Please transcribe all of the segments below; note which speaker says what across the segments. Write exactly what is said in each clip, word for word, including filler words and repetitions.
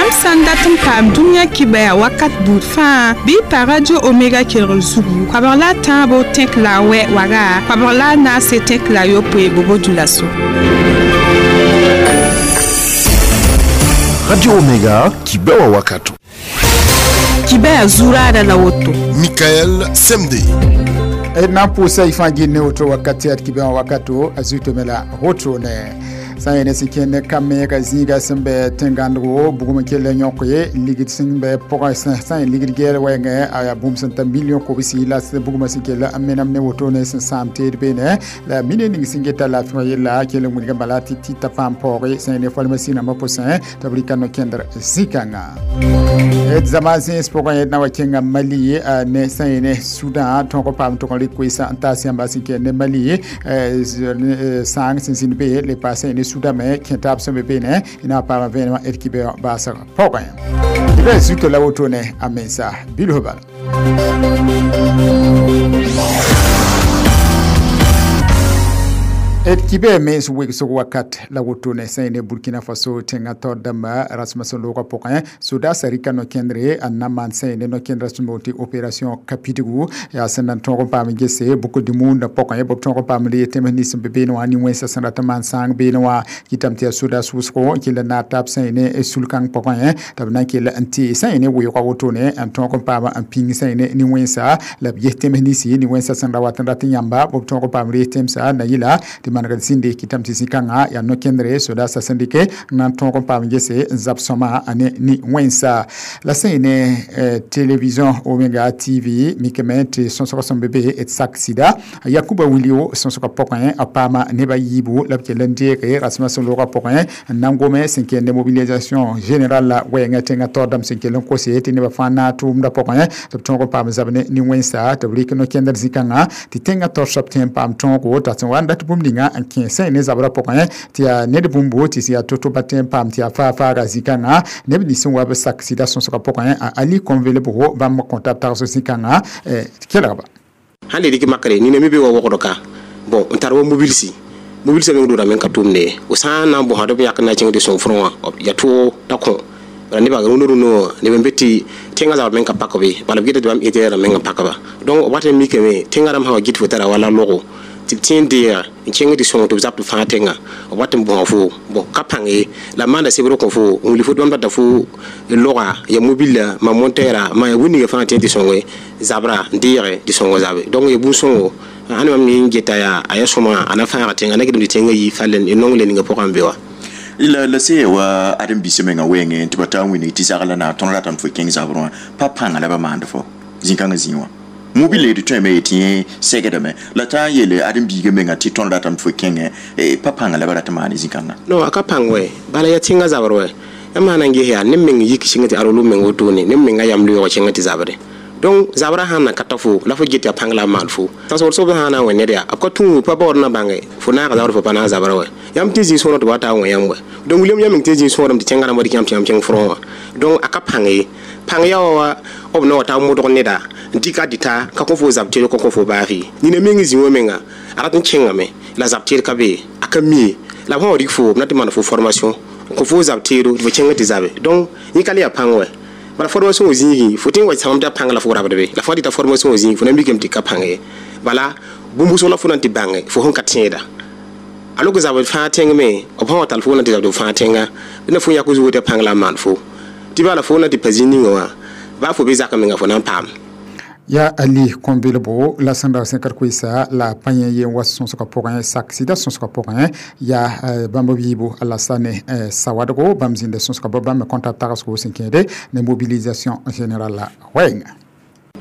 Speaker 1: Yãmb sã n dat n paam dũniyã kibaya wakat buud fãa bɩ y pa Radio Omega kelgr zugu koabg la a tãabo tẽk la a wɛ waga koabg la a naase tẽk la a yopoe bobo-dulaso.
Speaker 2: Radio Omega kibewa wakato.
Speaker 1: Kibaya zurada la woto.
Speaker 2: Michael Semde.
Speaker 3: Na pʋʋsa y fãa gil ne woto wakat tɩ ad kibã wakato a zuitame la wotone. Sã n yene sẽn kẽnd ka meega zĩiga sẽn bɩ tẽn-gãndgo bugum n kell n yõk ye ligd sẽn bɩ pʋgẽ sã n ligd gɛɛl wɛɛngẽ a yaa bũmb sẽn ta million kobsi la bugmã sẽn kell n menam ne wotone sẽn sãam teed beene la mine ning sẽn geta laafɩ wã yella kell n wilg bala tɩ tɩ ta paam paooge sã n ne farmasi rãmbã pʋsẽ tɩ b rɩka no-kẽndr zĩ-kãnga. D zama zẽns pʋgẽ d na wa kẽnga Mali ne sã n yene Sudan tõog paam tʋg n rɩk koeesã n taas yãmba sẽn kẽnd ne Mali sãang sẽn zĩnd be le pa sã n yene Sudan me kẽtaab sẽn be beene na paama vẽenemã d kibɛ baasg pʋgẽ. Tɩ bɩ zuto la wotone a mensa bilf bala. D kibɛ mens wegsg wakat la wotone sã n ne Burkina Faso tẽngã taoor dãmba rasmã sẽn loogã pʋgẽ sodaasã rɩka no-kẽndre n na maan sã n ne no-kẽndrã sẽn boond tɩ opération Kapidgu yaa sẽn na n tõog n paam n gese boucle du monde pʋgẽ b tõog n paam n le tẽms nins sẽn be beene wã nin-wẽnsã sẽn rat n maan sãang beene wã kɩtame tɩ yaa sodaas wʋsgo n kell n naag taab sã n ne sul-kãng pʋgẽ tɩ b na n kell n tee sã n ne weoogã wotone n tõog n paam n pĩng sã n ne nin-wẽnsa la b ges tẽms ninsi nin-wẽnsã sẽn ra wat n rat n yãmba b tõog n paam rees tẽmsã na yɩla tɩ manegd zĩnde kɩtame tɩ zĩ-kãngã yaa no-kẽndre sodaasã sẽn dɩke n na n tõog n paam gese n zab sõma a ne nin-wẽnsa la sẽn ne télévision Omega T V mikame tɩ sõsg sẽn be be d sak sɩda Yakuba Wilio sõsgã pʋgẽ a paama neba yiibu la b kell n deege rasmã sẽn loogã pʋgẽ n na n gome sẽn kẽnd mobilisation générale la wɛɛngã tẽngã taoor dãmb sẽn kell n kose tɩ nebã fãa naag tʋʋmdã pʋgẽ tɩ b tõog n paam zab ne nin-wẽnsa tɩ b rɩk no-kẽndr zĩ-kãngã tɩ tẽngã taoor soab tẽ n paam tõogo t'a sẽn wa n dat bũmb ninga n kẽ sã n ne zabrã pʋgẽ tɩ yaa ned bũmbo tɩ yaa to-to ba tẽ n paam tɩ yaa faa-faaga zĩ-kãngã neb nins sẽn wa b sak sɩda sõsgã pʋgẽ a Ali Kõnvelbo bãmb kõta b tagsg zĩ-kãngã kelgba.
Speaker 4: Sãn le rɩk makre nina me be wa wogd ka bon n tar wa mobilsi mobilsã meng dʋʋda meng ka tʋʋmde ye fo sã n na n bõsd b yak n na n kẽng tɩ sõng frõ wã ya tʋʋg t'a kõ bala nebã rũndã rũndã wã neb n be tɩ tẽngã zabr meng ka pak be bala b geta tɩ bãmb ẽtɩ rãmb meng n pakba donc b wat n mikame tẽngã rãmb sã wa gɩt fo tara wala logo tɩ b tẽ n deega n kẽng tɩ sõng tɩ b zab tɩ fãa tẽnga b wat n bõsa fo bon ka pãng ye la b maanda sebr kõ fo n wilg fo tɩ bãmb rata fo loga ya mobila ma montɛɛra ma ya bũmb ninga fãa tẽ tɩ sõnge zabra n deege tɩ sõng zabe donc ya bũn-sõngo ãn mam ne n geta yaa a yaa sõma a na fãaga tẽnga na gɩdem tɩ tẽngã yi fall n nong le ninga pʋgã n be wa.
Speaker 5: La la se wa adem bise menga wɛɛngẽ tɩ ba taa n wilg tɩ zagla na tõnd ratame fo kẽng zabrẽ wã pa pãnga la ba maand fo zĩ-kãngã zĩig wã mobile d tõeme yetɩ yẽ segdame la t'a n yeele ãdem-biigã menga tɩ tõnd ratame tɩ fo kẽngẽ pa pãnga la ba rat n maane zĩ-kãngã.
Speaker 4: Non a ka pãng wɛ bala yaa tẽngã zabr wɛ yãmb sã na n ges yaa neb meng yik sɩng tɩ arolo meng wotone neb menga yam loeego kẽngã tɩ zabre donc zabra sãn na ka ta fo la fo get yaa pãng la b maan fo tãnsgd soab sã na n wẽ ned yaa b ka tũ pa baood na bãnge fo naaga zabr fo pa naag zabra wɛ yãmb tɩ zĩ sõor tɩ wa taa wẽ yãmb wɛ donc william yãmb meng tɩ zĩ sõorem tɩ tẽngã rãmb wa dɩk yãmb tɩ yãmb kẽng frõ wã donc a ka pãng ye pãng yaa wa b na wa taa modg neda n dɩka dɩta ka kõ fo zab teed ka kõ fo baaf ye nina meng zĩ wã menga a rat n kẽngame la zab teed ka be a ka mi ye la b sã wa rɩk fo b na tɩ maan fo formation n kõ fo zab teedo tɩ fo kẽng tɩ zabe donc yẽ ka le yaa pãng wɛ bala formation wã zĩigẽ fo tɩ n wa sãmb tɩ a pãng la fo rabd be la fo dɩta formation wã zĩig fo na mikame tɩ ka pãng ye bala bũmb wʋsg la fo na n tɩ bãnge fo sẽn ka tẽeda a lok zabd fãa tẽngme b sã wa tall fo na tɩ zabd fãa tẽnga na fo yãk zugo tɩ a pãng la a maan fo tɩ bala fo na tɩ pa zĩ ninga wã baa fo be zak menga fo na n paam.
Speaker 3: Ya Ali Kõnvelbo la sẽn ra sẽn ka koeesa la pa yẽ yen wa sõsgã pʋgẽ sak sɩda sõsgã pʋgẽ yaa bãmb b yiibu Alassane Sawadogo bãmb zĩnda sõsgã bɩ bãmb me kõta tagsgo sẽn kẽede ne mobilisation générale la wɛɛnga.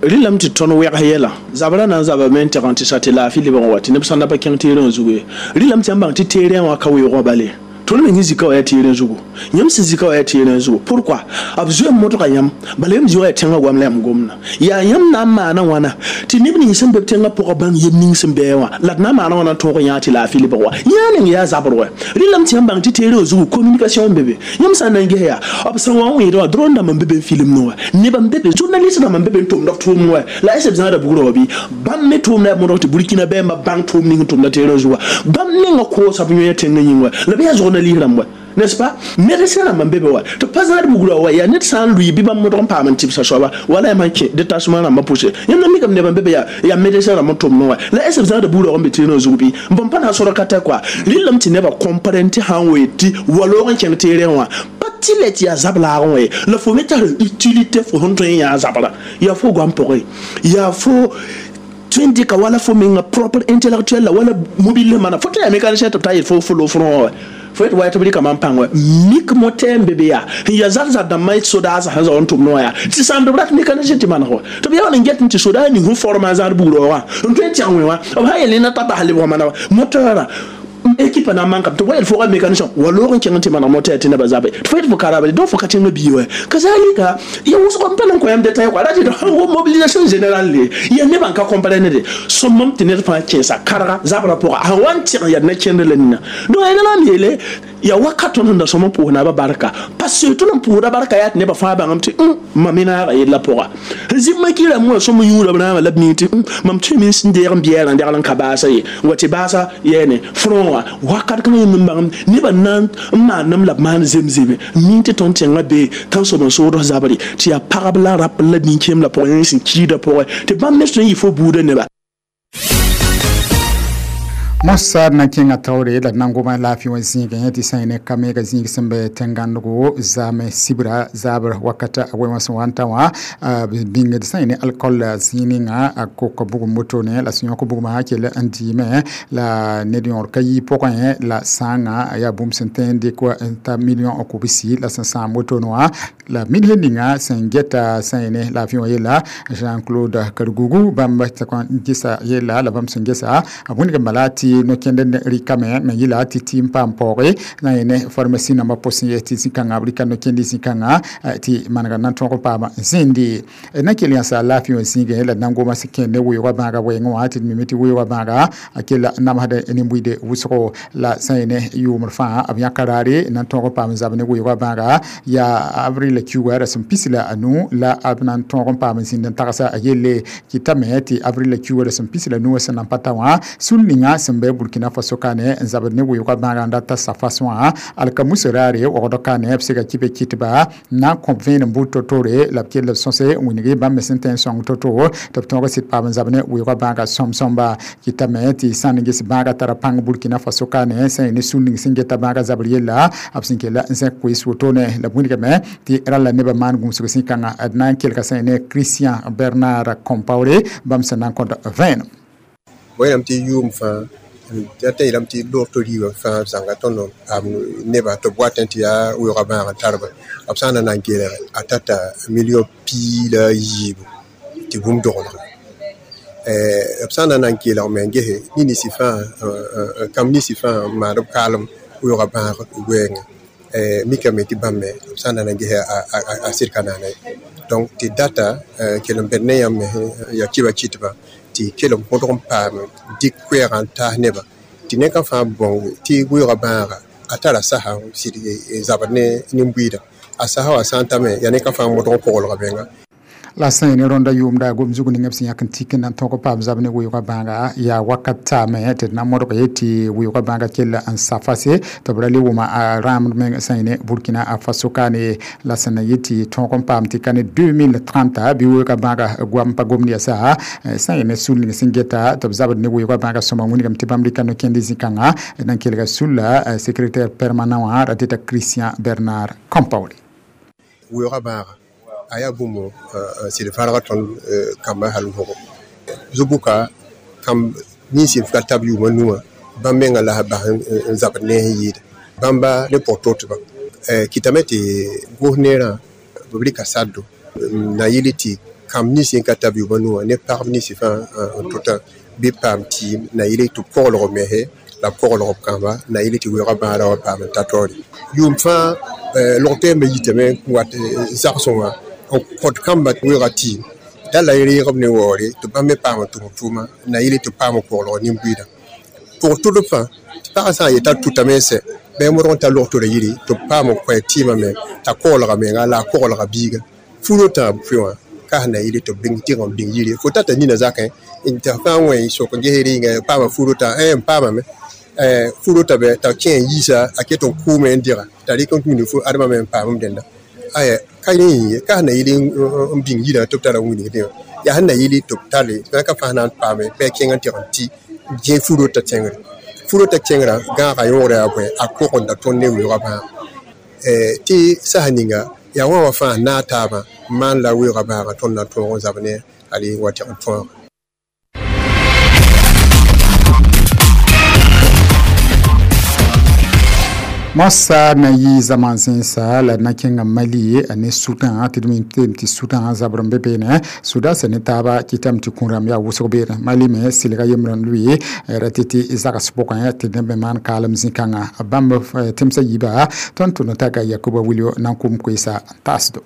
Speaker 6: Rɩlame tɩ tõnd wɛgs yɛla zabra na n zabame n tɛg n tɩ sa tɩ laafɩ lebg n wa tɩ neb sã n da pa kẽng teerẽ zugu ye rɩlame tɩ yãmb bãng tɩ teerẽ wã ka weoogã bale tõnd meng zika wa yaa teerẽ zugu yãmb sẽn zika wa yaa teerẽ zugu pourquoi b zoe n modga yãmb bala yãmb zĩ wa yaa tẽngã goam la yãmb gomda yaa yãmb na n maana wãna tɩ neb nins sẽn be b tẽngã pʋgã bãng yel ning sẽn bɩ wã la d na n maana wãna n tõog n yã tɩ laafɩ lebg wa yã ning yaa zabr wɛ rɩlame tɩ yãmb bãng tɩ teerẽ wã zugu communication n be be yãmb sã n na n ges yaa b sẽn wa n wẽed wã drone dãmb n be be n filmd wã nebã n be be journaliste dãmb n be be n tʋmd b tʋʋmd wɛ la est b zãada bugrã wã bɩ bãmb me tʋʋmda yaa modg tɩ Burkina bɛɛmbã bãng tʋʋm ning n tʋmda teerẽ zugu wã bãmb menga koosã b yõe tẽngã yĩng wɛ la bɩ yaa zog na liis rãmb wɛ n'est-ce pas médecin rãmba n be be wa tɩ pa zãad bugrã wa yaa ned sã n lʋɩ bɩ bãmb modg n paam n tɩbsa soaba wala yaa man kẽ détachement rãmbã pʋse yãmb na mikame nebã be be yaa yaa médecin rãmb n tʋmdẽ wa la est ce b zãada bugrã n be terrain zug bɩ bõn pa na n sora ka tɛ kɔa rɩllame tɩ nebã comprendre tɩ sã n wee tɩ waloog n kẽng terrain wã pa tɩ lɛ tɩ yaa zab laagẽ wã ye la fo me tar utilité fo sẽn tõe n yã zabra yaa fo goam pʋgẽ yaa fo tõe n dɩka wala fo menga propre intellectuel la wala mobile mana fo tɩ yaa mécanicien tɩ b ta yet fo fo lo front wa fo yet wa tɩ b rɩka mam pãng wa mik moteur n be be yaa n yaa zar zar dãmbã sodaasã sẽn zao n tʋmd wã yaa tɩ sãamd b rat mécanicien tɩ maneg wa tɩ b yaa wall n get n tɩ sodaa ning sẽn forma a zãad bugrã wã n tõe n tẽg wẽ wã b sã yel na ta bas lebg mana wa moteurã équipe na manka to wayel fo mécanicien walo n kẽng tɩ maneg moteur tɩ nebã zabe tɩ fo yet fo karabale donc fo ka tẽngã bii wa kazalika ya wʋsg n pa na n kõ yãmb détail kɔa ra tɩ wo mobilisation générale le ya nebã n ka comprendre de sõmam tɩ ned fãa kẽesa karga zabrã pʋga sẽn wa n tɩg yaa na kẽnd la nina donc yaa la m yeele yaa wakat tõnd sẽn da sõm n pʋʋs naabã barka parce que tõnd n pʋʋsda barka yaa tɩ nebã fãa bãngame tɩ mam me naaga yella pʋga zĩm kɩrame wã sõm yũuda b rãamã la b ming tɩ mam tõeme n deeg n biɛɛrã n degl n ka baasa ye n wa tɩ baasa yɛɛne front wã wakat kãngã yẽmb n bãngem nebã na n maandem la b maan zemzeme ming tɩ tõnd tẽngã be tãnsoab n sood zabre tɩ yaa pagb la rap la nin-kẽem la pʋgẽ sẽn kiidã pʋgẽ tɩ bãmb me tõe n yɩ fo buudã neba.
Speaker 3: Mossad na kẽngã taoore la nan-goma laafɩ wã zĩigẽ tɩ sã ne ka meega zĩig sẽn be tẽn-gãndgo zaame sibra zabr wakata a wẽ wã sẽn wa n ta wã bĩngd sã ne alcool zĩig ninga a kok bugum wotone la sẽn yõk bugmã kell n dɩɩme la ned yõor ka yi pʋgẽ la sãanga yaa bũmb sẽn tõe n dɩk n ta million kobsi la sẽn sãam wotone wã la minsã ninga sẽn geta sã ne laafɩ wã yella Jean-Claude Kargougou bãmb n gesa yella la bãmb sẽn gesa a wĩndg n bala tɩ no-kẽnd rɩkame me yɩla tɩ tɩ n paam paooge na yẽ pharmacie nambã pʋsẽ ye tɩ zĩ-kãngã b rɩka no-kẽnd zĩ-kãngã tɩ manega na n tõog n paama zẽende na kell yãsa laafɩ wã zĩigẽ la nan-goma sẽn kẽnd ne weoogã bãaga wɛɛngẽ wã tɩ d mime tɩ weoogã bãaga a kella namsd nin-buiide wʋsgo la sã yẽ ne yʋʋmd fãa b yãka raare na n tõog n paam zab ne weoogã bãaga yaa avril kiuga rasem pis la anu la b na n tõog n paam zĩnd n tagsa a yelle kɩtame tɩ avril kiuga rasem pis la nu wã sẽn na n pa ta wã sul ninga sẽn bɩ Burkina Faso kane n zabd ne weoogã bãaga n dat t'a sa fasõ wã alkamus raare wogd kane b sega kɩ be kɩtba na n kõb vẽenem buud to-tore la b kell b sõse n wilgi bãmb me sẽn tõe n sõng to-to tɩ b tõog sɩd paam n zab ne weoogã bãaga sõm-sõmba kɩtame tɩ sã n ges bãaga tara pãng Burkina Faso kane sã ne sul ning sẽn geta bãaga zabr yella b sẽn kella n zẽk koees wotone la b wilgame tɩ ralla nebã maan gũusg zĩ-kãngã d na n kelga sã ne Christian Bernard Compaoré bãmb sẽn na n kõt vẽenem.
Speaker 7: Wẽnnaam tɩ yʋʋm fãa t'a yeelame tɩ loog to riibã fãa b zãnga tõnd paam nebã tɩ b watẽ tɩ yaa weoogã bãag n tar ba b sã n na na n kelg a tata million piig la a yiibu tɩ bũmb doglge b sã n na na n kelg me n gese nins fãa kãmb ninsi fãa n maand b kaalem weoogã bãag wɛɛngã mikame tɩ bãmb me b sã n na na n gese a sɩd ka naana ye donc tɩ data kell n bẽd ne yãmb me yaa kiba kɩtba tɩ kell n põdg n paam dɩk koɛɛgã n taas nebã tɩ neka fãa bõng tɩ weoogã bãaga a tara sasa n sɩd zabd ne nin-buiidã a sasa wã sã n tame yaa neka fãa modg n koglga menga.
Speaker 3: La sã ne rõnda yʋʋmda gom zug ning b sẽn yãk n tik n na n tõog paam zab ne weoogã bãaga yaa wakat taame tɩ d na modg ye tɩ weoogã bãaga kell n sa fase tɩ b ra le wʋma a rãamd meng sã ne Burkina Faso kaane la sẽn na yet tɩ tõog n paam tɩ ka ne deux mille trente bɩ weoogã bãaga goam pa gomd yasa sã ne sul ning sẽn geta tɩ b zabd ne weoogã bãaga sõma wĩnigame tɩ bãmb rɩka no-kẽnd zĩ-kãngã d na n kelga sulla secrétaire permanent wã ra tɩ Christian Bernard Compaoré.
Speaker 7: Weoogã bãaga a yaa bũmb sɩd fãrga tõnd kambã hal wʋsgo zu-bʋka kãmb nins n ka tab yʋʋma nu wã bãmb menga la bas n zabd ne sẽn yɩɩda bãmba ne pʋg totba kɩtame tɩ gos neerã b rɩka saddo na yɩl tɩ kãmb nins n ka tab yʋʋma nu wã ne pagb nins fãa n tota bɩ paam tɩɩm na yɩl tɩ b koglg mese la b koglg b kãmba na yɩl tɩ weoogã bãada wa paam n ta taoore yʋʋm fãa log toeembã yitame n wat zagsẽ wã n kõt kãmbã weoogã tɩɩm da la reegb ne waoore tɩ bãmb me paam n tʋm tʋʋma na yɩl tɩ paam n koglg nin-buiidã pʋg tʋdb fãa tɩ pagã sã n yeta tʋtame n sɛ bɩ modg n ta log-tora yiri tɩ b paam n kõ tɩɩmã me t'a koglga menga la a koglga biiga fu rotã pʋɩ wã ka sẽn na yɩl tɩ b bĩng tɩg n bĩng yiri fo tata nina zakẽ tɩ fãa wẽ sok n ges rɩnga paama fu rotã n paamame fu rota bɛ t'a kẽ n yiisa a ket n kʋʋme n dega t'a rɩk n tũud fu admã me n paam dẽnda aya ka rẽ yĩng ye ka sẽn na yɩl n bĩng yirã tɩ b tara wilgdẽ wã yaa sẽn na yɩl tɩ b tare tɩ ka fãa na n paame bɩ a kẽng n tɩg n tɩ gẽ fu-rotã tẽngre fu-rotã kẽngrã gãaga yõoda yaa bõe a kogenda tõnd ne weoogã bãag tɩ sasa ninga yaa wã wã fãa naag taabã n maan la weoogã bãagã tõnd na n tõog n zab ne ali wa tɩg n tõog.
Speaker 3: Mosa na yi zaman zẽnsa la na kẽnga Mali ne Sudan tɩ d mi tɩ Sudan zabr n be beene Sudan sẽn ne taaba kɩtame tɩ kũu-rãmb yaa wʋsg beene Mali me sɩlga yembrã n lʋɩ ra tɩ tɩ zags pʋgẽ tɩ neb me maan kaalem zĩ-kãngã bãmb tẽmsã yiiba tõnd tʋ no-taka Yakuba Wilio na n kʋm koeesa n taasdo.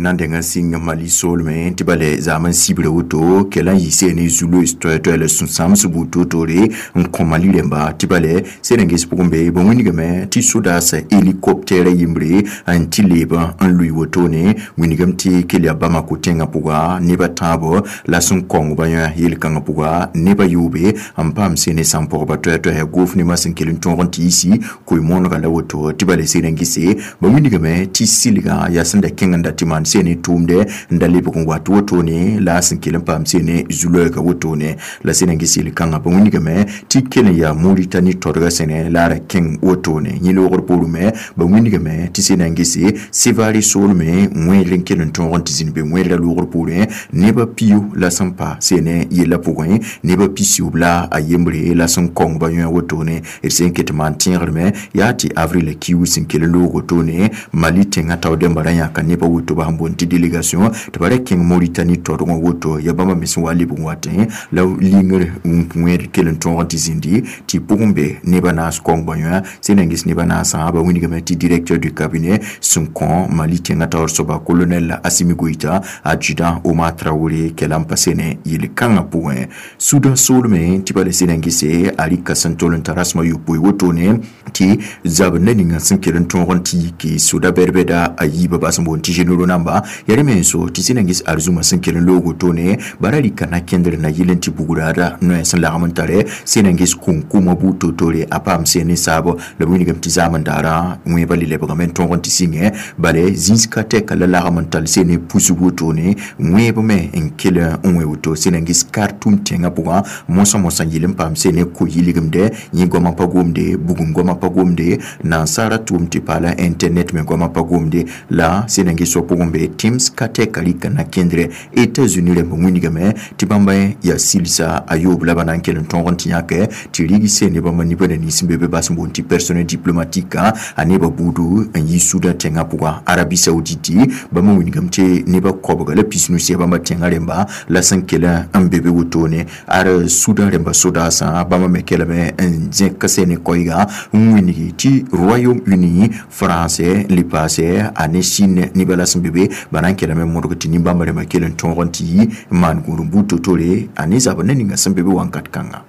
Speaker 5: Nan denga sɩng Mali soolmẽ tɩ ba le zaam n sibra woto kell n yɩ ne zu-loees toɛ-toɛ la sũ-sãams buud toor-toore n kõ Mali rẽmba tɩ ba le sed n ges pʋgẽ be ba wĩnigame tɩ sodaasã hélicoptɛɛrã yembre n tɩ leeb n lʋɩ wotone wĩnigame tɩ kell yaa Bamako tẽngã pʋga neba tãabo la sẽn kõng ba yã yel-kãngã pʋga neba yoobe n paam sene sãn-pɔgba toɛ-toɛsã goof nebã sẽn kell n tõog n tɩ yisi koe-moonega la woto tɩ ba le sed n gese ba wĩnigame tɩ sɩlgã yaa sẽn da kẽng n da tɩ maan sene tʋʋmdɛ n da lebg n wat wotone la sẽn kell n paam sene zu-loɛɛga wotone la sẽn n ges yel-kãngã ba wĩnigame tɩ kell n yaa Moritani todga sẽne la a ra kẽng wotone yẽ loogr poorẽ me ba wĩnigame tɩ sẽn n gese Sevare soolme wẽedr n kell n tõog n tɩ zĩnd be wẽedrã loogr poorẽ nebã pio la sẽn pa sene yellã pʋgẽ nebã pisiyoob la a yembre la sẽn kõng ba yõ wotone d sẽn ket maan tẽegrme yaa tɩ avril kiu sẽn kell n loog wotone Mali tẽngã tao dẽmba ra yãka nebã woto ba sẽn boond tɩ délégation tɩ ba ra kẽng Moritani todgẽ woto ya bãmba me sẽn wa lebg n watẽ la lingr wẽed kell n tõog n tɩ zĩndi tɩ pʋgẽ be nebã naas kõng ba yõ sẽn n ges nebã naasã ba wĩnigame tɩ directeur du cabinet sẽn kõ Mali tẽngã taoor soaba colonel Assimi Goïta adjudant Omar Traoré kell n pa sene yel-kãngã pʋgẽ Sudan soolme tɩ ba le sẽn n gese a rɩka sẽn tol n ta rasmã yopoe wotone tɩ zab ne ninga sẽn kell n tõog n tɩ yike soda bɛd-bɛda a yiibã bas n boond tɩ généraux namba ya rẽ me n so tɩ sẽn n ges arzũmã sẽn kell n loog wotone bara rɩka na kẽndr na yɩl n tɩ bugraada noɛ sẽn lagm n tare sẽn n ges kũnkũmã buud toor-toore a paam sẽn ne saabo la b wĩnigame tɩ zaam n daara wẽebã le lebgame n tõog n tɩ sɩngẽ bale zĩns ka tɛka la lagm n tall sẽn ne pusg wotone wẽeb me n kell n wẽ woto sẽn n ges Khartoum tẽngã pʋgã mosã-mosã yɩl n paam sẽn ne ko-yɩlgemdɛ yẽ goamã pa gomde bugum goamã pa gomde nansaara tʋʋm tɩ paala internet me goamã pa gomde la sẽn n ges wa pʋgẽ be tẽms ka tɛka rɩka na kẽndrɛ États-Unis rẽmb wĩnigame tɩ bãmba yaa silsa a yoob la ba na n kell n tõog n tɩ yãke tɩ rig seen ne bãmba nibã nins n be be bas n boond tɩ personnel diplomatique a nebã buudu n yi Sudan tẽngã pʋga Arabie Saoudite bãmba wĩnigame tɩ nebã koabga la pisnu sɩ bãmba tẽngã rẽmba la sẽn kell n be be wotone ar Sudan rẽmba sodaasã bãmba me kelame n zẽk sene koɛɛga n wĩnigi tɩ Royaume-Uni français n le paase a ne Chine nebã la sẽn be be ba na n kelame modg tɩ nin-bãmba rẽmba kell n tõog n tɩ yi n maan gũud n buud to-tore a ne zabr ne ninga sẽn be be wãnkat kãnga.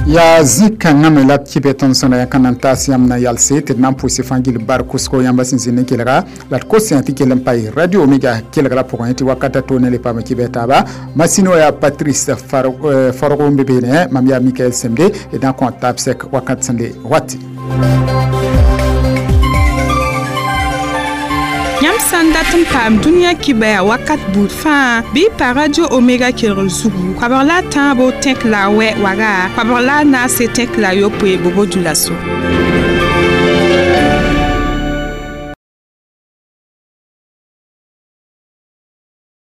Speaker 3: Yaa zĩ-kãngã me la d kɩ tõnd sẽn ra yãk n na n taas yãmb na yalse tɩ d na n pʋʋse fãa gill bar kʋsgo yãmba sẽn zĩnd n kelga la d kos yã tɩ kell n pa radio Omega kelgra pʋgẽ tɩ wakata to ne le paam kɩ bɩ taaba masino yaa Patrice Fargo n be beene mam yaa Mikael Semde d na n kõ taab sɛk wakat sẽn le wati.
Speaker 1: Yãmb sã n dat n paam dũniyã kibaya wakat buud fãa bɩ pa radio Omega kelgr zugu koabg la a tãabo tẽk la a wɛ waga koabg la a naase tẽk la a yopoe bobo dula so.